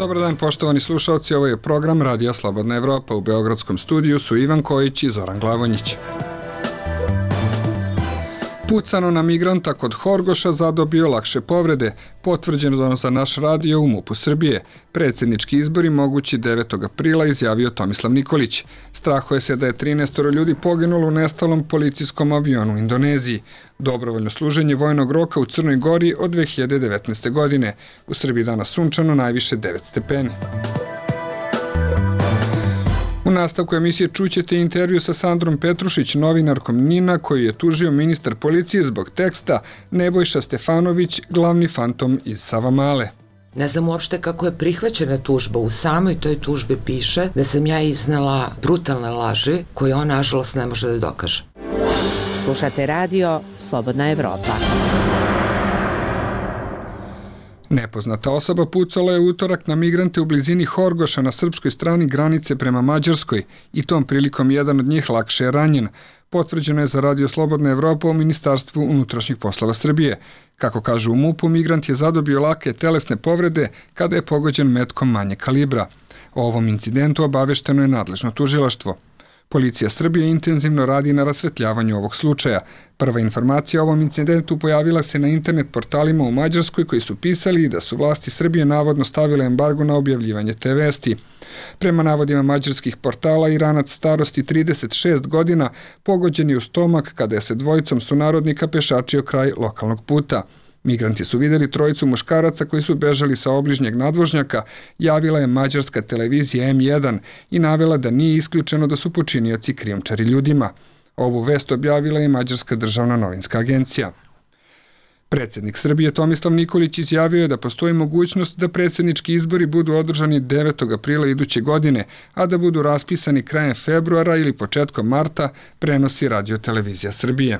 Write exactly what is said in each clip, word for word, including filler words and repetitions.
Dobar dan, poštovani slušalci, ovo je program Radija Slobodna Evropa. U beogradskom studiju su Ivan Kojić i Zoran Glavonjić. Pucano na migranta kod Horgoša zadobio lakše povrede, potvrđeno za naš radio u MUP-u Srbije. Predsjednički izbori mogući devetog aprila, izjavio Tomislav Nikolić. Strahuje se da je trinaestoro ljudi poginulo u nestalom policijskom avionu u Indoneziji. Dobrovoljno služenje vojnog roka u Crnoj Gori od dve hiljade devetnaeste. godine. U Srbiji danas sunčano, najviše devet stepeni. U nastavku emisije čućete intervju sa Sandrom Petrušić, novinarkom NIN-a, koju je tužio ministar policije zbog teksta Nebojša Stefanović, glavni fantom iz Savamale. Ne znam uopšte kako je prihvaćena tužba. U samoj toj tužbi piše da sam ja iznala brutalne laži koje on, nažalost, ne može da dokaže. Slušate radio Slobodna Evropa. Nepoznata osoba pucala je utorak na migrante u blizini Horgoša na srpskoj strani granice prema Mađarskoj i tom prilikom jedan od njih lakše je ranjen. Potvrđeno je za Radio Slobodna Evropa u Ministarstvu unutrašnjih poslova Srbije. Kako kažu u MUP-u, migrant je zadobio lake telesne povrede kada je pogođen metkom manje kalibra. O ovom incidentu obavešteno je nadležno tužilaštvo. Policija Srbije intenzivno radi na rasvetljavanju ovog slučaja. Prva informacija o ovom incidentu pojavila se na internet portalima u Mađarskoj koji su pisali da su vlasti Srbije navodno stavile embargo na objavljivanje te vesti. Prema navodima mađarskih portala, Iranac starosti trideset šest godina pogođen je u stomak kada je se dvojicom sunarodnika pešačio kraj lokalnog puta. Migranti su vidjeli trojicu muškaraca koji su bežali sa obližnjeg nadvožnjaka, javila je mađarska televizija em jedan i navela da nije isključeno da su počinioci krijumčari ljudima. Ovu vest objavila je Mađarska državna novinska agencija. Predsjednik Srbije Tomislav Nikolić izjavio je da postoji mogućnost da predsjednički izbori budu održani devetog aprila iduće godine, a da budu raspisani krajem februara ili početkom marta, prenosi Radio-televizija Srbije.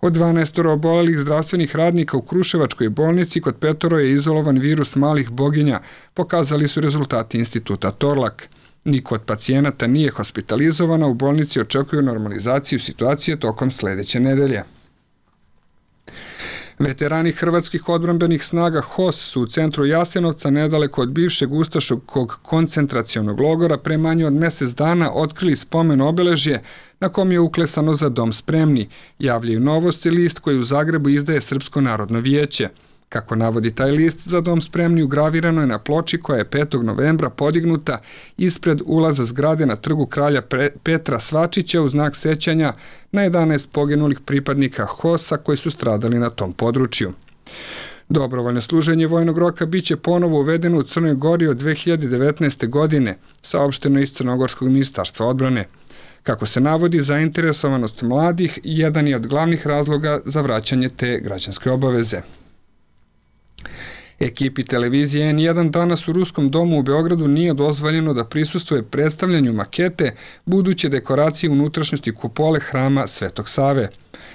Od dvanaestoro obolelih zdravstvenih radnika u Kruševačkoj bolnici kod petoro je izolovan virus malih boginja, pokazali su rezultati instituta Torlak. Niko od pacijenata nije hospitalizovana, u bolnici očekuju normalizaciju situacije tokom sljedeće nedelje. Veterani hrvatskih odbrambenih snaga H O S su u centru Jasenovca, nedaleko od bivšeg ustaškog koncentracionog logora, pre manje od mjesec dana otkrili spomen obeležje na kom je uklesano Za dom spremni, javljaju Novosti, list koji u Zagrebu izdaje Srpsko narodno vijeće. Kako navodi taj list, Za dom spremni ugravirano je na ploči koja je petog novembra podignuta ispred ulaza zgrade na trgu kralja Petra Svačića u znak sećanja na jedanaest poginulih pripadnika H O S-a koji su stradali na tom području. Dobrovoljno služenje vojnog roka biće ponovo uvedeno u Crnoj Gori od dve hiljade devetnaeste. godine, saopšteno iz Crnogorskog ministarstva odbrane. Kako se navodi, zainteresovanost mladih jedan je od glavnih razloga za vraćanje te građanske obaveze. Ekipi televizije en jedan danas u Ruskom domu u Beogradu nije dozvoljeno da prisustvuje predstavljanju makete buduće dekoracije unutrašnjosti kupole hrama Svetog Save.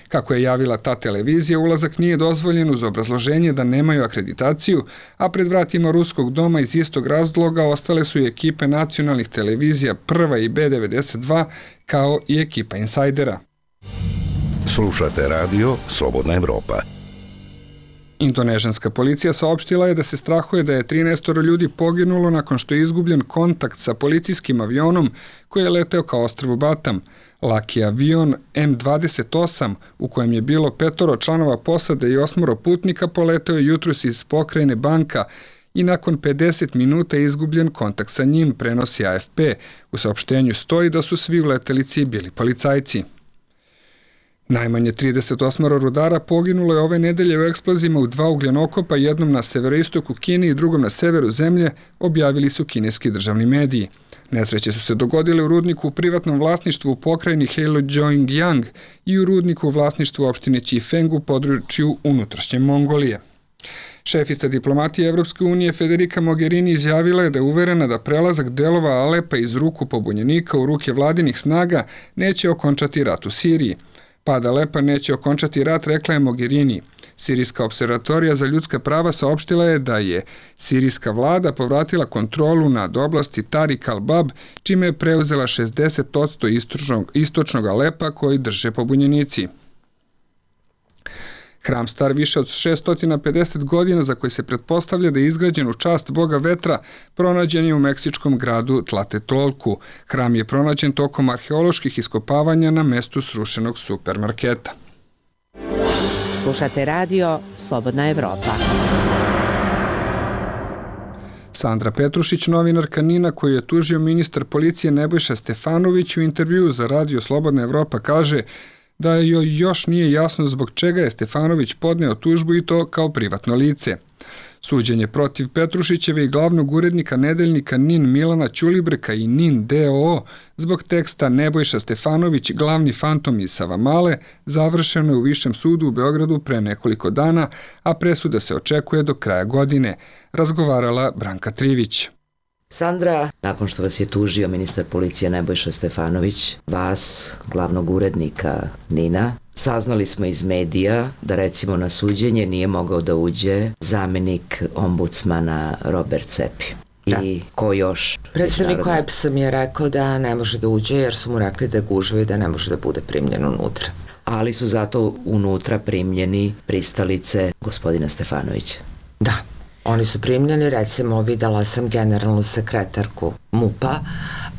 Kako je javila ta televizija, ulazak nije dozvoljen uz obrazloženje da nemaju akreditaciju, a pred vratima Ruskog doma iz istog razloga ostale su i ekipe nacionalnih televizija Prva i be devedeset dva, kao i ekipa Insajdera. Slušate radio Slobodna Evropa. Indonežanska policija saopštila je da se strahuje da je trinaestoro ljudi poginulo nakon što je izgubljen kontakt sa policijskim avionom koji je leteo ka ostrvu Batam. Laki avion em dvadeset osam, u kojem je bilo petoro članova posade i osmoro putnika, poleteo je jutros iz pokrajine Banka i nakon pedeset minuta je izgubljen kontakt sa njim, prenosi a ef pe. U saopštenju stoji da su svi u letelici bili policajci. Najmanje trideset osam rudara poginulo je ove nedelje u eksplozijama u dva ugljenokopa, jednom na severoistoku Kine i drugom na severu zemlje, objavili su kineski državni mediji. Nesreće su se dogodile u rudniku u privatnom vlasništvu u pokrajini Heilongjiang i u rudniku u vlasništvu opštine Čifeng u području unutrašnje Mongolije. Šefica diplomatije Evropske unije Federica Mogherini izjavila je da je uverena da prelazak delova Alepa iz ruku pobunjenika u ruke vladinih snaga neće okončati rat u Siriji. Pad Alepa neće okončati rat, rekla je Mogherini. Sirijska observatorija za ljudska prava saopštila je da je sirijska vlada povratila kontrolu nad oblasti Tarik al-Bab, čime je preuzela šezdeset posto istočnog, istočnog Alepa koji drže pobunjenici. Hram star više od šessto pedeset godina, za koji se pretpostavlja da je izgrađen u čast boga vetra, pronađen je u meksičkom gradu Tlatelolku. Hram je pronađen tokom arheoloških iskopavanja na mestu srušenog supermarketa. Slušate radio Slobodna Evropa. Sandra Petrušić, novinarka NIN-a koju je tužio ministar policije Nebojša Stefanović, u intervjuu za radio Slobodna Evropa kaže da joj još nije jasno zbog čega je Stefanović podneo tužbu i to kao privatno lice. Suđenje protiv Petrušićeve i glavnog urednika nedeljnika NIN Milana Ćulibrka i NIN D O O zbog teksta Nebojša Stefanović, glavni fantom iz Savamale, završeno je u Višem sudu u Beogradu pre nekoliko dana, a presuda se očekuje do kraja godine, razgovarala Branka Trivić. Sandra, nakon što vas je tužio ministar policije Nebojša Stefanović, vas, glavnog urednika NIN-a, saznali smo iz medija da recimo na suđenje nije mogao da uđe zamenik ombudsmana Robert Cepi. Da. I ko još? Predstavnik O E B S-a mi je rekao da ne može da uđe jer su mu rekli da je gužva i da ne može da bude primljen unutra. Ali su zato unutra primljeni pristalice gospodina Stefanovića. Da. Oni su primljeni, recimo videla sam generalnu sekretarku MUP-a,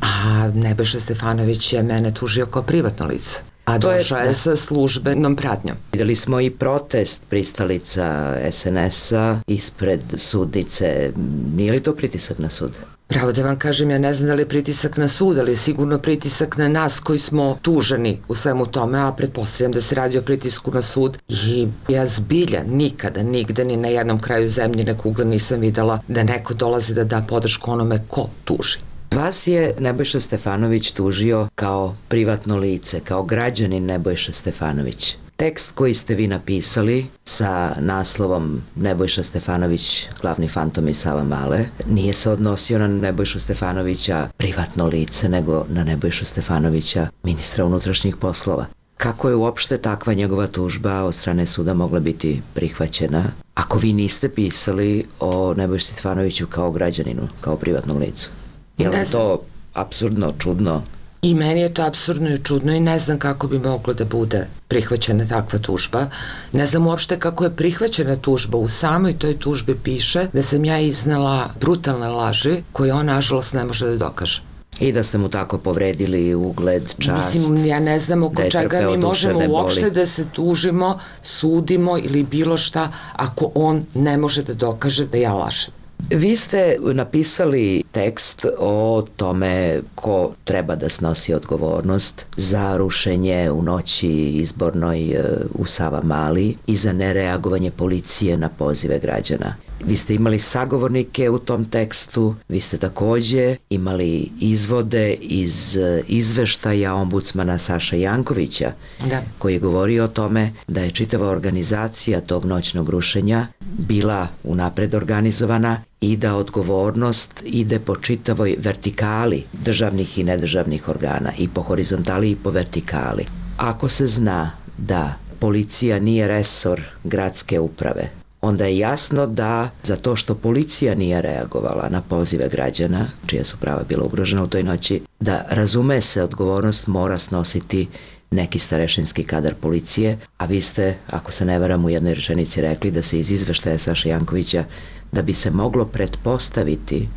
a Nebojša Stefanović je mene tužio kao privatno lice. A došao je sa službenom pratnjom. Videli smo i protest pristalica S N S-a ispred sudnice. Nije li to pritisak na sud? Pravo da vam kažem, ja ne znam da li je pritisak na sud, ali je sigurno pritisak na nas koji smo tuženi u svemu tome, a pretpostavljam da se radi o pritisku na sud. I ja zbilja nikada, nigde, ni na jednom kraju zemljine kugle nisam videla da neko dolazi da da podršku onome ko tuži. Vas je Nebojša Stefanović tužio kao privatno lice, kao građanin Nebojša Stefanović. Tekst koji ste vi napisali sa naslovom Nebojša Stefanović, glavni fantom iz Savamale, nije se odnosio na Nebojšu Stefanovića privatno lice, nego na Nebojšu Stefanovića, ministra unutrašnjih poslova. Kako je uopšte takva njegova tužba od strane suda mogla biti prihvaćena, ako vi niste pisali o Nebojši Stefanoviću kao građaninu, kao privatnom licu? Je li to apsurdno, čudno? I meni je to apsurdno i čudno i ne znam kako bi moglo da bude prihvaćena takva tužba. Ne znam uopšte kako je prihvaćena tužba. U samoj toj tužbi piše da sam ja iznela brutalne laži koje on nažalost ne može da dokaže. I da ste mu tako povredili ugled, čast. Mislim, ja ne znam oko čega mi možemo uopšte da se tužimo, sudimo ili bilo šta ako on ne može da dokaže da ja lažem. Vi ste napisali tekst o tome ko treba da snosi odgovornost za rušenje u noći izbornoj u Savamali i za nereagovanje policije na pozive građana. Vi ste imali sagovornike u tom tekstu, vi ste takođe imali izvode iz izveštaja ombudsmana Saša Jankovića, da. Koji je govorio o tome da je čitava organizacija tog noćnog rušenja bila unapred organizovana i da odgovornost ide po čitavoj vertikali državnih i nedržavnih organa, i po horizontali i po vertikali. Ako se zna da policija nije resor gradske uprave, onda je jasno da za to što policija nije reagovala na pozive građana, čija su prava bila ugrožena u toj noći, da razume se odgovornost mora snositi neki starešinski kadar policije, a vi ste, ako se ne varam, u jednoj rečenici rekli da se iz izveštaja Saša Jankovića da bi se moglo pretpostaviti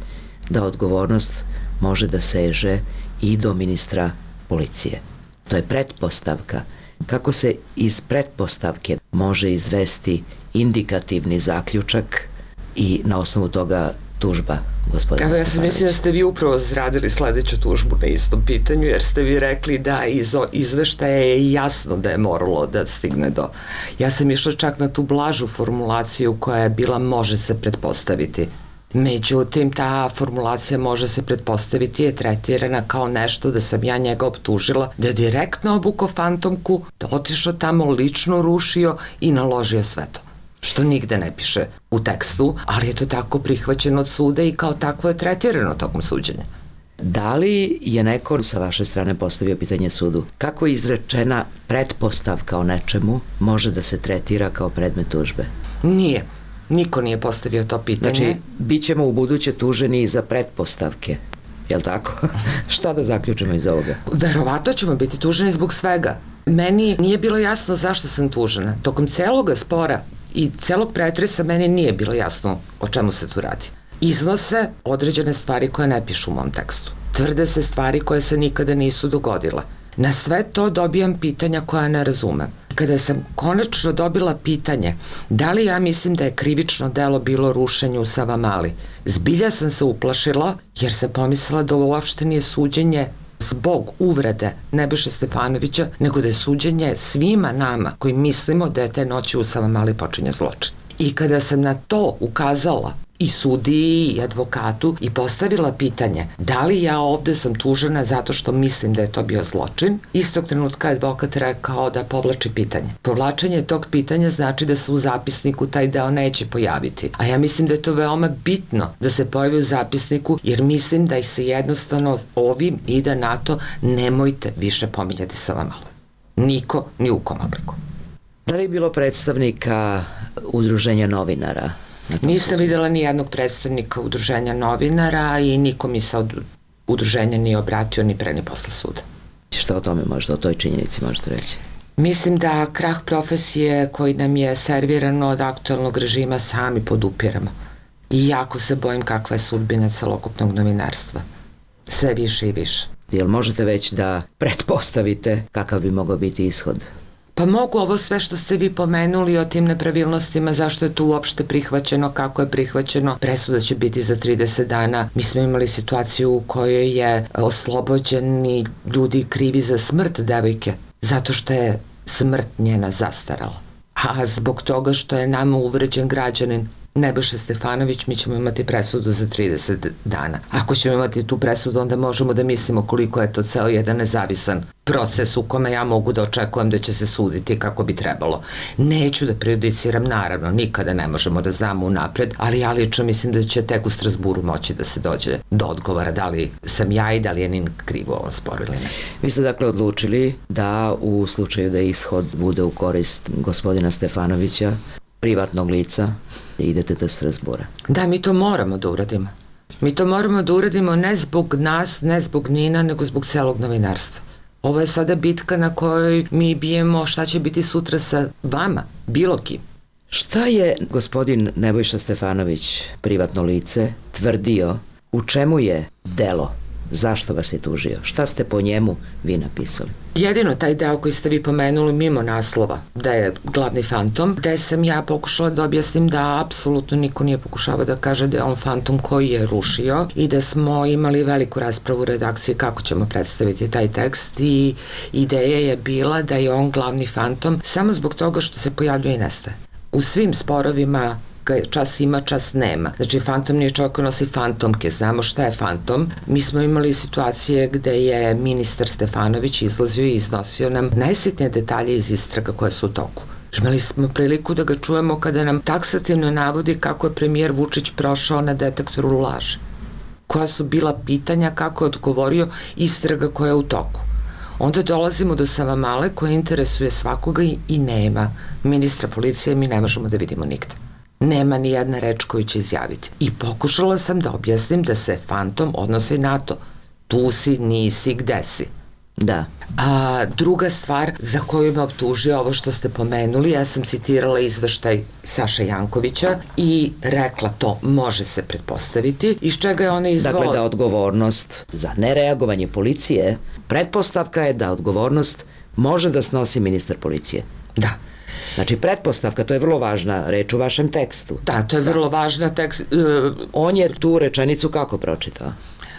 da odgovornost može da seže i do ministra policije. To je pretpostavka. Kako se iz pretpostavke može izvesti indikativni zaključak i na osnovu toga tužba gospodina Stefanovića? Ja sam mislim da ste vi upravo zradili sledeću tužbu na istom pitanju, jer ste vi rekli da iz izveštaja je jasno da je moralo da stigne do... Ja sam išla čak na tu blažu formulaciju koja je bila može se pretpostaviti. Međutim, ta formulacija može se pretpostaviti je tretirana kao nešto da sam ja njega optužila da je direktno obukao fantomku, da otišao tamo, lično rušio i naložio sve to. Što nigde ne piše u tekstu, ali je to tako prihvaćeno od suda i kao takvo je tretirano tokom suđenja. Da li je neko sa vaše strane postavio pitanje sudu? Kako je izrečena pretpostavka o nečemu može da se tretira kao predmet tužbe? Nije. Niko nije postavio to pitanje. Znači, bit ćemo u buduće tuženi za pretpostavke. Je li tako? Šta da zaključimo iz ovoga? Verovatno ćemo biti tuženi zbog svega. Meni nije bilo jasno zašto sam tužena. Tokom celog spora i celog pretresa meni nije bilo jasno o čemu se tu radi. Iznose određene stvari koje ne pišu u mom tekstu. Tvrde se stvari koje se nikada nisu dogodile. Na sve to dobijam pitanja koja ne razumem. Kada sam konačno dobila pitanje da li ja mislim da je krivično delo bilo rušenje u Savamali, zbilja sam se uplašila jer sam pomislila da ovo uopšte nije suđenje zbog uvrede Nebojše Stefanovića, nego da je suđenje svima nama koji mislimo da je te noći u Savamali počinje zločin. I kada sam na to ukazala i sudiji i advokatu i postavila pitanje da li ja ovde sam tužena zato što mislim da je to bio zločin, istog trenutka advokat rekao da povlači pitanje. Povlačenje tog pitanja znači da se u zapisniku taj deo neće pojaviti. A ja mislim da je to veoma bitno da se pojavi u zapisniku jer mislim da ih se jednostavno ovim ide na to nemojte više pominjati Savamalu. Niko ni u kom obliku. Da li je bilo predstavnika udruženja novinara? Nisam videla ni jednog predstavnika udruženja novinara i niko mi se od udruženja nije obratio ni pre ni posle suda. Šta o tome možda, o toj činjenici možete reći? Mislim da krah profesije koji nam je servirano od aktualnog režima sami podupiramo. I jako se bojim kakva je sudbina celokupnog novinarstva. Sve više i više. Jel možete već da pretpostavite kakav bi mogao biti ishod? Pa mogu ovo sve što ste vi pomenuli o tim nepravilnostima, zašto je to uopšte prihvaćeno, kako je prihvaćeno. Presuda će biti za trideset dana. Mi smo imali situaciju u kojoj je oslobođeni ljudi krivi za smrt devojke, zato što je smrt njena zastarala. A zbog toga što je nama uvređen građanin Nebojša Stefanović, mi ćemo imati presudu za trideset dana. Ako ćemo imati tu presudu, onda možemo da mislimo koliko je to ceo jedan nezavisan proces u kome ja mogu da očekujem da će se suditi kako bi trebalo. Neću da prejudiciram, naravno, nikada ne možemo da znamo unapred, ali ja lično mislim da će tek u Strasburu moći da se dođe do odgovora da li sam ja i da li je Nin kriv u ovom sporu ili ne. Vi ste dakle odlučili da u slučaju da ishod bude u korist gospodina Stefanovića, privatnog lica, idete do Strasbura. Da, mi to moramo da uradimo. Mi to moramo da uradimo ne zbog nas, ne zbog Nina, nego zbog celog novinarstva. Ovo je sada bitka na kojoj mi bijemo šta će biti sutra sa vama, bilo kim. Šta je gospodin Nebojša Stefanović, privatno lice, tvrdio, u čemu je delo? Zašto vas je tužio? Šta ste po njemu vi napisali? Jedino taj deo koji ste vi pomenuli mimo naslova, da je glavni fantom, gde sam ja pokušala da objasnim da apsolutno niko nije pokušavao da kaže da je on fantom koji je rušio i da smo imali veliku raspravu u redakciji kako ćemo predstaviti taj tekst i ideja je bila da je on glavni fantom samo zbog toga što se pojavljuje i nestaje. U svim sporovima čas ima, čas nema. Znači, fantom nije čovjek koji nosi fantomke, znamo šta je fantom. Mi smo imali situacije gde je ministar Stefanović izlazio i iznosio nam najsitnije detalje iz istraga koje su u toku. Imali smo priliku da ga čujemo kada nam taksativno navodi kako je premijer Vučić prošao na detektoru laži. Koja su bila pitanja, kako je odgovorio istraga koja je u toku. Onda dolazimo do Savamale koja interesuje svakoga i nema ministra policije, mi ne možemo da vidimo nigde. Nema ni jedna reč koju će izjaviti. I pokušala sam da objasnim da se fantom odnosi na to. Tu si, nisi, gde si. Da. A druga stvar za koju me optužio, ovo što ste pomenuli, ja sam citirala izveštaj Saše Jankovića i rekla to može se pretpostaviti, iz čega je ona izvala. Dakle, da odgovornost za nereagovanje policije, pretpostavka je da odgovornost može da snosi ministar policije. Da. Znači, pretpostavka, to je vrlo važna reč u vašem tekstu. Da, to je vrlo važna tekst. Uh, On je tu rečenicu kako pročitao?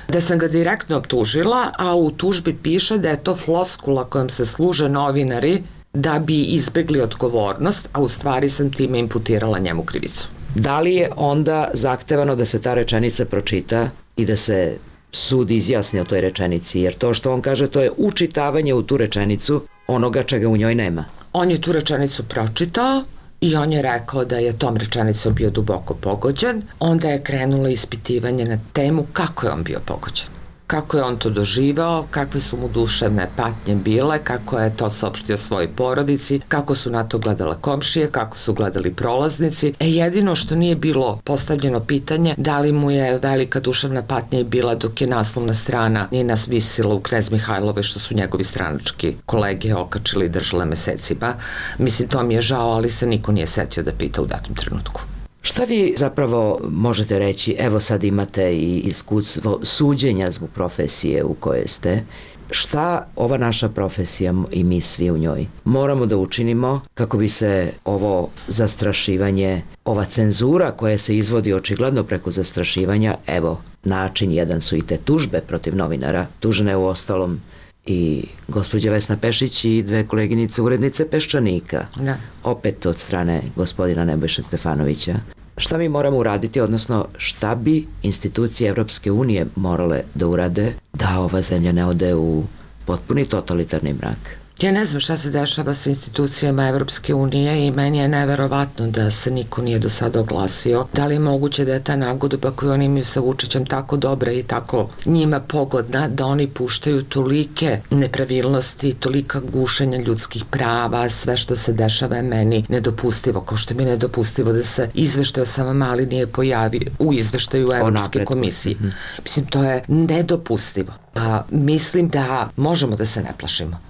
Da sam ga direktno optužila, a u tužbi piše da je to floskula kojom se služe novinari da bi izbegli odgovornost, a u stvari sam time imputirala njemu krivicu. Da li je onda zahtevano da se ta rečenica pročita i da se sud izjasni o toj rečenici? Jer to što on kaže, to je učitavanje u tu rečenicu onoga čega u njoj nema. On je tu rečenicu pročitao i on je rekao da je tom rečenicom bio duboko pogođen. Onda je krenulo ispitivanje na temu kako je on bio pogođen. kako je on to doživao, kakve su mu duševne patnje bile, kako je to saopštio svojoj porodici, kako su na to gledale komšije, kako su gledali prolaznici. E jedino što nije bilo postavljeno pitanje da li mu je velika duševna patnja bila dok je naslovna strana nije nas visila u Knez Mihajlove što su njegovi stranački kolege okačili i držale mesecima. Mislim, to mi je žao, ali se niko nije setio da pita u datom trenutku. Šta vi zapravo možete reći, evo sad imate i iskustvo suđenja zbog profesije u kojoj ste, šta ova naša profesija i mi svi u njoj moramo da učinimo kako bi se ovo zastrašivanje, ova cenzura koja se izvodi očigledno preko zastrašivanja, evo, način jedan su i te tužbe protiv novinara, tužene u ostalom i gospođa Vesna Pešić i dve koleginice urednice Peščanika, da. Opet od strane gospodina Nebojše Stefanovića. Šta mi moramo uraditi, odnosno šta bi institucije Evropske unije morale da urade da ova zemlja ne ode u potpuni totalitarni mrak? Ja ne znam šta se dešava sa institucijama Evropske unije i meni je neverovatno da se niko nije do sada oglasio. Da li je moguće da je ta nagodba koju oni imaju sa Vučićem tako dobra i tako njima pogodna da oni puštaju tolike nepravilnosti, tolika gušenja ljudskih prava, sve što se dešava je meni nedopustivo, kao što mi je nedopustivo da se izveštaj o Savamali nije pojavio u izveštaju Evropske komisije. Mm-hmm. Mislim, to je nedopustivo. Pa mislim da možemo da se ne plašimo.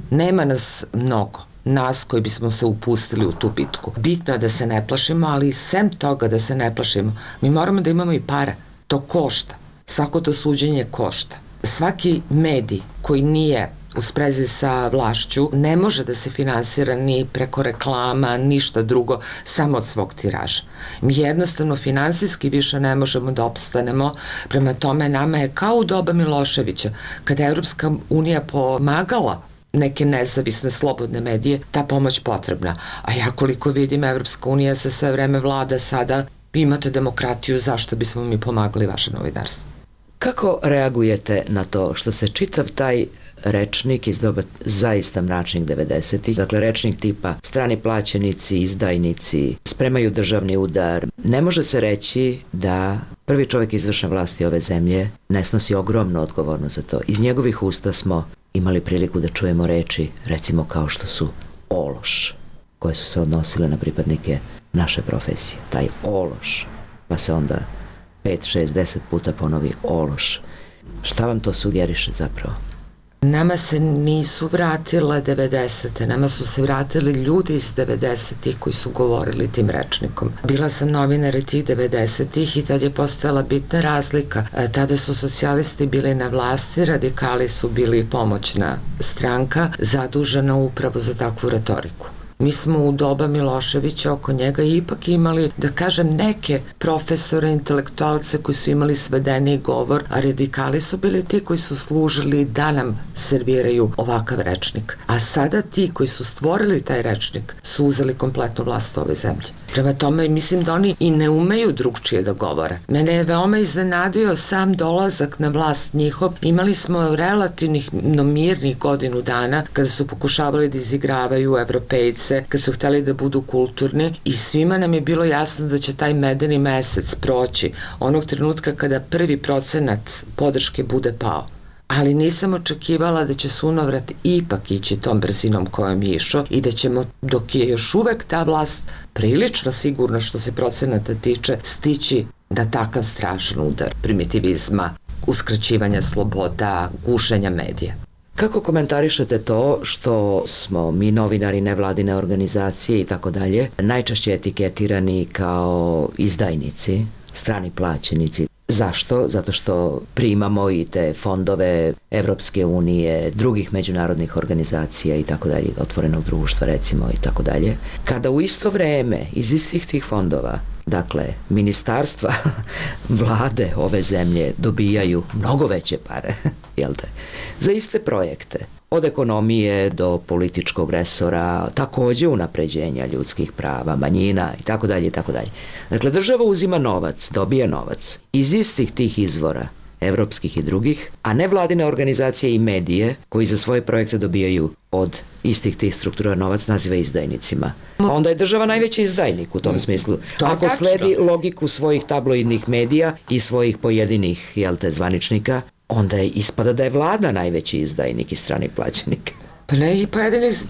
Nema nas mnogo, nas koji bismo se upustili u tu bitku. Bitno je da se ne plašimo, ali sem toga da se ne plašimo, mi moramo da imamo i pare. To košta. Svako to suđenje košta. Svaki medij koji nije u sprezi sa vlašću ne može da se finansira ni preko reklama, ništa drugo, samo od svog tiraža. Mi jednostavno finansijski više ne možemo da opstanemo, prema tome nama je kao u doba Miloševića, kada je Evropska unija pomagala neke nezavisne, slobodne medije, ta pomoć potrebna. A ja koliko vidim, Evropska unija se sve vreme vlada sada, imate demokratiju, zašto bismo mi pomagli vaše novinarstvo? Kako reagujete na to što se čitav taj rečnik iz doba zaista mračnih devedesetih, dakle rečnik tipa strani plaćenici, izdajnici, spremaju državni udar, ne može se reći da prvi čovjek izvršne vlasti ove zemlje ne snosi ogromnu odgovornost za to. Iz njegovih usta smo imali priliku da čujemo reči, recimo kao što su ološ, koje su se odnosile na pripadnike naše profesije. Taj ološ, pa se onda pet, šest, deset puta ponovi ološ. Šta vam to sugeriše zapravo? Nama se nisu vratile devedesete, nama su se vratili ljudi iz devedesetih koji su govorili tim rečnikom. Bila sam novinar tih devedesetih i tad je postojala bitna razlika. Tada su socijalisti bili na vlasti, radikali su bili pomoćna stranka, zadužena upravo za takvu retoriku. Mi smo u doba Miloševića oko njega ipak imali, da kažem, neke profesore, intelektualce koji su imali svedeni govor, a radikali su bili ti koji su služili da nam serviraju ovakav rečnik. A sada ti koji su stvorili taj rečnik su uzeli kompletnu vlast u ovoj zemlji. Prema tome, mislim da oni i ne umeju drugčije da govore. Mene je veoma iznenadio sam dolazak na vlast njihov. Imali smo relativnih mirnih godinu dana kada su pokušavali da izigravaju Evropejce, kad su hteli da budu kulturni i svima nam je bilo jasno da će taj medeni mesec proći onog trenutka kada prvi procenat podrške bude pao. Ali nisam očekivala da će sunovrat ipak ići tom brzinom kojom je išao i da ćemo, dok je još uvek ta vlast prilično sigurno što se procenata tiče, stići da takav strašan udar primitivizma, uskraćivanja sloboda, gušenja medija. Kako komentarišete to što smo mi novinari, nevladine organizacije i tako dalje najčešće etiketirani kao izdajnici, strani plaćenici? Zašto? Zato što primamo i te fondove Evropske unije, drugih međunarodnih organizacija i tako dalje, otvorenog društva recimo i tako dalje. Kada u isto vreme iz istih tih fondova, dakle, ministarstva vlade ove zemlje dobijaju mnogo veće pare, jel te, za iste projekte. Od ekonomije do političkog resora, takođe unapređenja ljudskih prava, manjina i tako dalje i tako dalje. Dakle, država uzima novac, dobija novac iz istih tih izvora, evropskih i drugih, a ne vladine organizacije i medije koji za svoje projekte dobijaju od istih tih struktura novac naziva izdajnicima. Onda je država najveći izdajnik u tom smislu. Ako sledi logiku svojih tabloidnih medija i svojih pojedinih, jel te, zvaničnika, onda je ispada da je vlada najveći izdajnik i strani plaćenik. Pa ne i pojedinih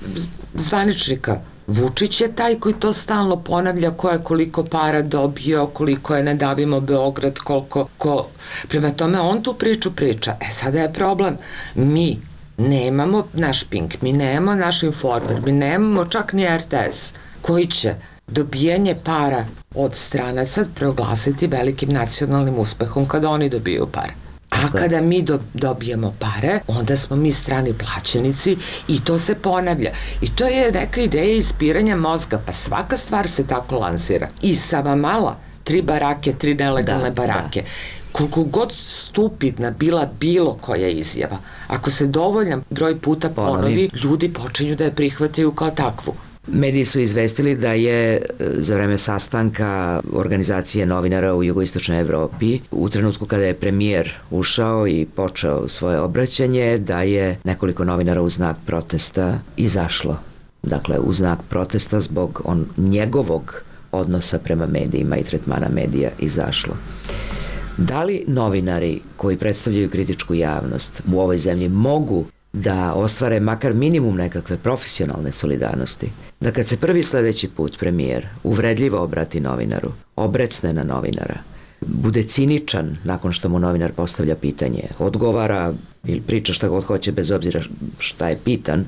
zvaničnika. Vučić je taj koji to stalno ponavlja, ko je koliko para dobio, koliko je ne davimo Beograd, koliko, ko... Prema tome, on tu priču priča. E, sada je problem. Mi nemamo naš Pink, mi nemamo naš Informer, mi nemamo čak ni R T S, koji će dobijanje para od stranaca proglasiti velikim nacionalnim uspehom kada oni dobiju pare. A kada mi do, dobijemo pare, onda smo mi strani plaćenici i to se ponavlja. I to je neka ideja ispiranja mozga, pa svaka stvar se tako lansira. I Savamala, tri barake, tri nelegalne da, barake. Da. Koliko god stupidna bila bilo koja izjava, ako se dovoljan broj puta ponovi, ponovi, ljudi počinju da je prihvataju kao takvu. Mediji su izvestili da je za vreme sastanka organizacije novinara u jugoistočnoj Evropi, u trenutku kada je premijer ušao i počeo svoje obraćanje, da je nekoliko novinara u znak protesta izašlo. Dakle, u znak protesta zbog on, njegovog odnosa prema medijima i tretmana medija izašlo. Da li novinari koji predstavljaju kritičku javnost u ovoj zemlji mogu da ostvare makar minimum nekakve profesionalne solidarnosti, da kad se prvi sledeći put premijer uvredljivo obrati novinaru, obrecne na novinara, bude ciničan nakon što mu novinar postavlja pitanje, odgovara ili priča šta god hoće bez obzira šta je pitan,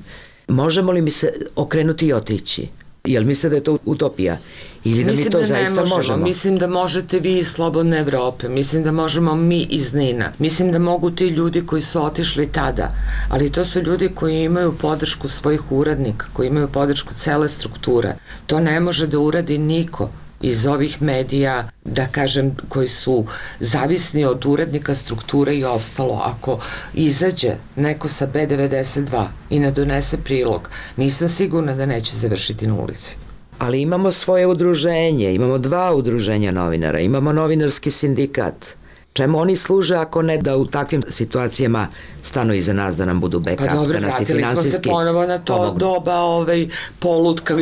možemo li mi se okrenuti i otići? Jel mislite da je to utopija? Ili da mislim mi to da zaista možemo. možemo? Mislim da možete vi iz Slobodne Evrope, mislim da možemo mi iz Nina, mislim da mogu ti ljudi koji su otišli tada, ali to su ljudi koji imaju podršku svojih uradnika, koji imaju podršku cele strukture. To ne može da uradi niko iz ovih medija, da kažem, koji su zavisni od urednika, strukture i ostalo. Ako izađe neko sa B devedeset dva i ne donese prilog, nisam sigurna da neće završiti na ulici. Ali imamo svoje udruženje, imamo dva udruženja novinara, imamo novinarski sindikat. Čemu oni služe ako ne da u takvim situacijama stanu iza nas da nam budu backup, pa dobro, da nas i finansijski vratili smo se ponovo na to pomognu. Doba ovaj, polutka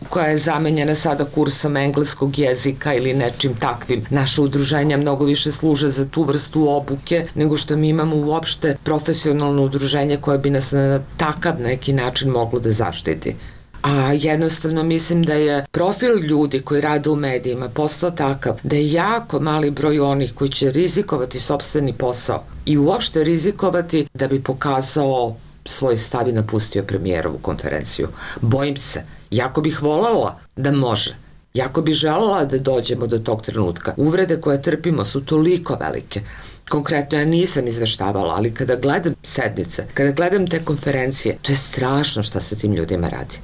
koja je zamenjena sada kursom engleskog jezika ili nečim takvim. Naše udruženja mnogo više služe za tu vrstu obuke nego što mi imamo uopšte profesionalno udruženje koje bi nas na takav neki način moglo da zaštiti. A jednostavno mislim da je profil ljudi koji rade u medijima postao takav da je jako mali broj onih koji će rizikovati sopstveni posao i uopšte rizikovati da bi pokazao svoj stav i napustio premijerovu konferenciju. Bojim se, jako bih voljela da može, jako bih želela da dođemo do tog trenutka. Uvrede koje trpimo su toliko velike. Konkretno ja nisam izveštavala, ali kada gledam sednice, kada gledam te konferencije, to je strašno šta se tim ljudima radi.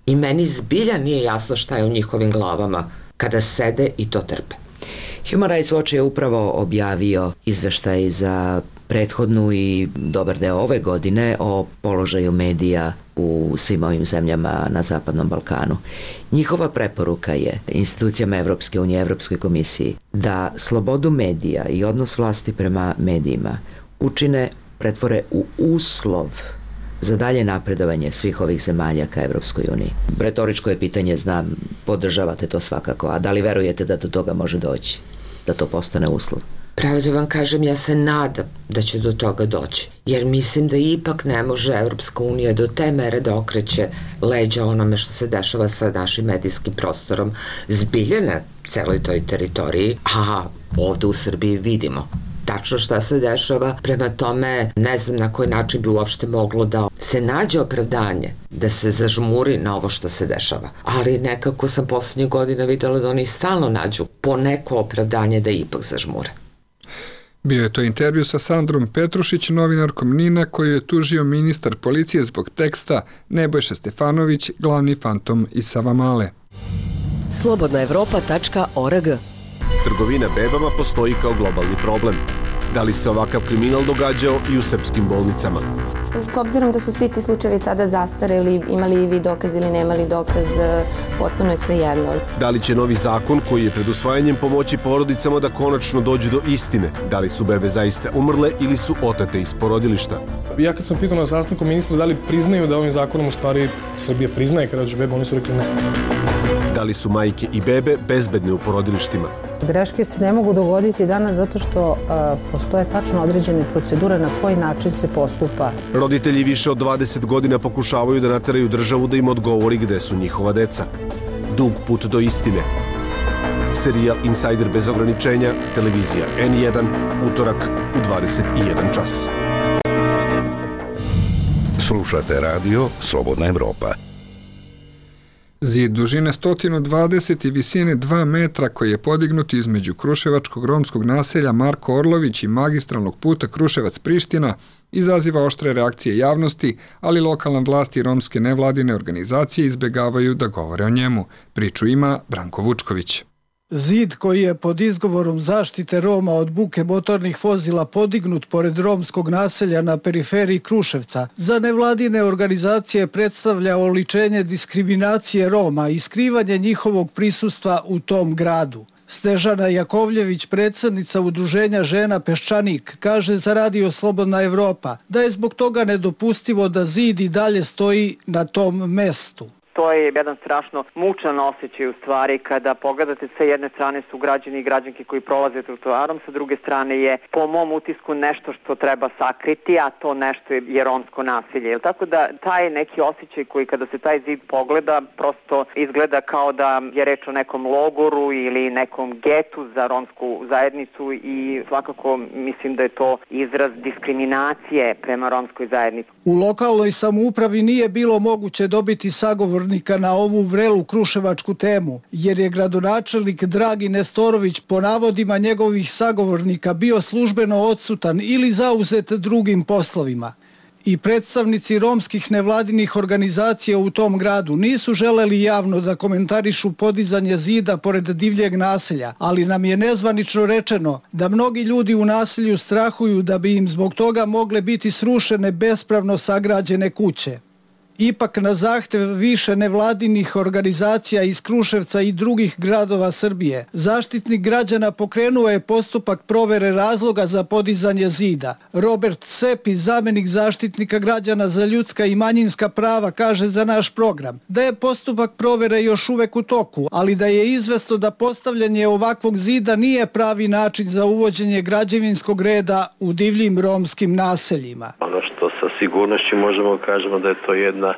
I meni zbilja nije jasno šta je u njihovim glavama kada sede i to trpe. Human Rights Watch je upravo objavio izveštaj za prethodnu i dobar deo ove godine o položaju medija u svim ovim zemljama na Zapadnom Balkanu. Njihova preporuka je institucijama Evropske unije, Evropskoj komisiji da slobodu medija i odnos vlasti prema medijima učine, pretvore u uslov za dalje napredovanje svih ovih zemalja ka Evropskoj uniji. Retoričko je pitanje, znam, podržavate to svakako, a da li verujete da do toga može doći, da to postane uslov? Pravo da vam kažem, ja se nadam da će do toga doći, jer mislim da ipak ne može Evropska unija do te mere da okreće leđa onome što se dešava sa našim medijskim prostorom zbilje na celoj toj teritoriji, a ovde u Srbiji vidimo tačno šta se dešava, prema tome ne znam na koji način bi uopšte moglo da se nađe opravdanje da se zažmuri na ovo što se dešava. Ali nekako sam poslednjih godina videla da oni stalno nađu po neko opravdanje da ipak zažmure. Bio je to intervju sa Sandrom Petrušić, novinarkom Nina, koju je tužio ministar policije zbog teksta Nebojša Stefanović, glavni fantom iz Savamale. slobodna evropa tačka org. Trgovina bebama postoji kao globalni problem. Da li se ovakav kriminal događao i u srpskim bolnicama? S obzirom da su svi ti slučajevi sada zastareli, imali vi dokaz ili nemali dokaz, potpuno je sve jedno. Da li će novi zakon koji je pred usvajanjem pomoći porodicama da konačno dođu do istine? Da li su bebe zaista umrle ili su otate iz porodilišta? Ja kad sam pitao na sastanku ministra da li priznaju da ovim zakonom u stvari Srbija priznaje kada dođu bebe, oni su rekli ne. Da li su majke i bebe bezbedne u porodilištima? Greške se ne mogu dogoditi danas zato što a, postoje tačno određene procedure na koji način se postupa. Roditelji više od dvadeset godina pokušavaju da nateraju državu da im odgovori gde su njihova deca. Dug put do istine. Serijal Insider bez ograničenja, televizija en jedan, utorak u dvadeset jedan čas. Slušate radio Slobodna Evropa. Zid dužine sto dvadeset i visine dva metra koji je podignut između kruševačkog romskog naselja Marko Orlović i magistralnog puta Kruševac-Priština izaziva oštre reakcije javnosti, ali lokalna vlast i romske nevladine organizacije izbegavaju da govore o njemu. Priču ima Branko Vučković. Zid koji je pod izgovorom zaštite Roma od buke motornih vozila podignut pored romskog naselja na periferiji Kruševca, za nevladine organizacije predstavlja oličenje diskriminacije Roma i skrivanje njihovog prisustva u tom gradu. Snežana Jakovljević, predsjednica Udruženja žena Peščanik, kaže za radio Slobodna Evropa da je zbog toga nedopustivo da zid i dalje stoji na tom mestu. To je jedan strašno mučan osjećaj u stvari kada pogledate sa jedne strane su građani i građanke koji prolaze trotoarom, sa druge strane je po mom utisku nešto što treba sakriti, a to nešto je romsko nasilje. Tako da taj neki osjećaj koji kada se taj zid pogleda prosto izgleda kao da je reč o nekom logoru ili nekom getu za romsku zajednicu i svakako mislim da je to izraz diskriminacije prema romskoj zajednici. U lokalnoj samoupravi nije bilo moguće dobiti sagovor na ovu vrelu kruševačku temu, jer je gradonačelnik Dragi Nestorović po navodima njegovih sagovornika bio službeno odsutan ili zauzet drugim poslovima. I predstavnici romskih nevladinih organizacija u tom gradu nisu želeli javno da komentarišu podizanje zida pored divljeg naselja, ali nam je nezvanično rečeno da mnogi ljudi u naselju strahuju da bi im zbog toga mogle biti srušene bespravno sagrađene kuće. Ipak na zahtev više nevladinih organizacija iz Kruševca i drugih gradova Srbije, Zaštitnik građana pokrenuo je postupak provere razloga za podizanje zida. Robert Sepi, zamenik Zaštitnika građana za ljudska i manjinska prava, kaže za naš program da je postupak provere još uvek u toku, ali da je izvesno da postavljanje ovakvog zida nije pravi način za uvođenje građevinskog reda u divljim romskim naseljima. Ono što sa sigurnošću možemo kažemo da je to jedna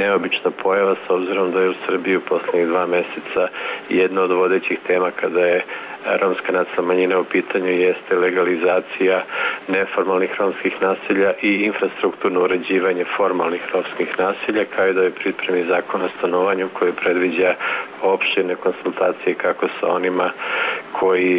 neobična pojava s obzirom da je u Srbiji u poslednjih dva meseca jedna od vodećih tema kada je romska nacionalna manjina u pitanju jeste legalizacija neformalnih romskih naselja i infrastrukturno uređivanje formalnih romskih naselja, kao i da je pripremi zakon o stanovanju koji predviđa opširne konsultacije kako sa onima koji,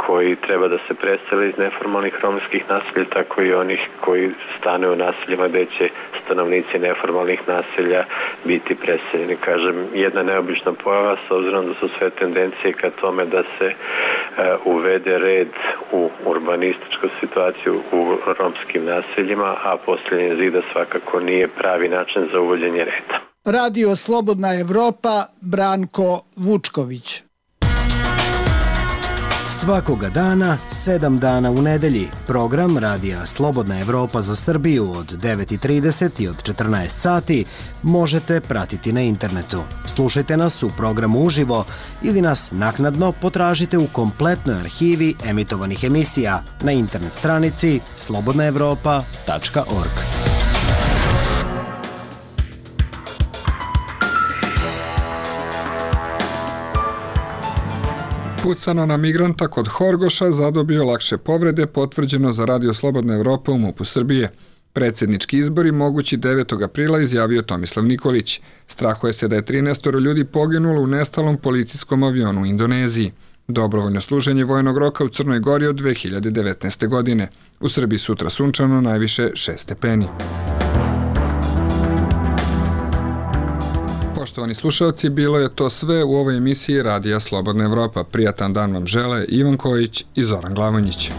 koji treba da se presele iz neformalnih romskih naselja, tako i onih koji stane u naseljima gde će stanovnici neformalnih naselja biti preseljeni. Kažem, jedna neobična pojava s obzirom da su sve tendencije ka tome da se uh, uvede red u urbanističku situaciju u romskim naseljima, a postavljanje zida svakako nije pravi način za uvođenje reda. Radio Slobodna Evropa, Branko Vučković. Svakoga dana, sedam dana u nedelji, program Radija Slobodna Evropa za Srbiju od devet i trideset i od četrnaest sati možete pratiti na internetu. Slušajte nas u programu uživo ili nas naknadno potražite u kompletnoj arhivi emitovanih emisija na internet stranici slobodna evropa tačka org. Pucano na migranta kod Horgoša zadobio lakše povrede, potvrđeno za Radio Slobodna Evropa u MUP-u Srbije. Predsjednički izbori mogući devetog aprila izjavio Tomislav Nikolić. Strahuje se da je trinaest ljudi poginulo u nestalom policijskom avionu u Indoneziji. Dobrovoljno služenje vojnog roka u Crnoj Gori od dve hiljade devetnaeste. godine. U Srbiji sutra sunčano, najviše šest stepeni. Poštovani slušalci, bilo je to sve u ovoj emisiji Radija Slobodna Evropa. Prijatan dan vam žele Ivan Kojić i Zoran Glavonjić.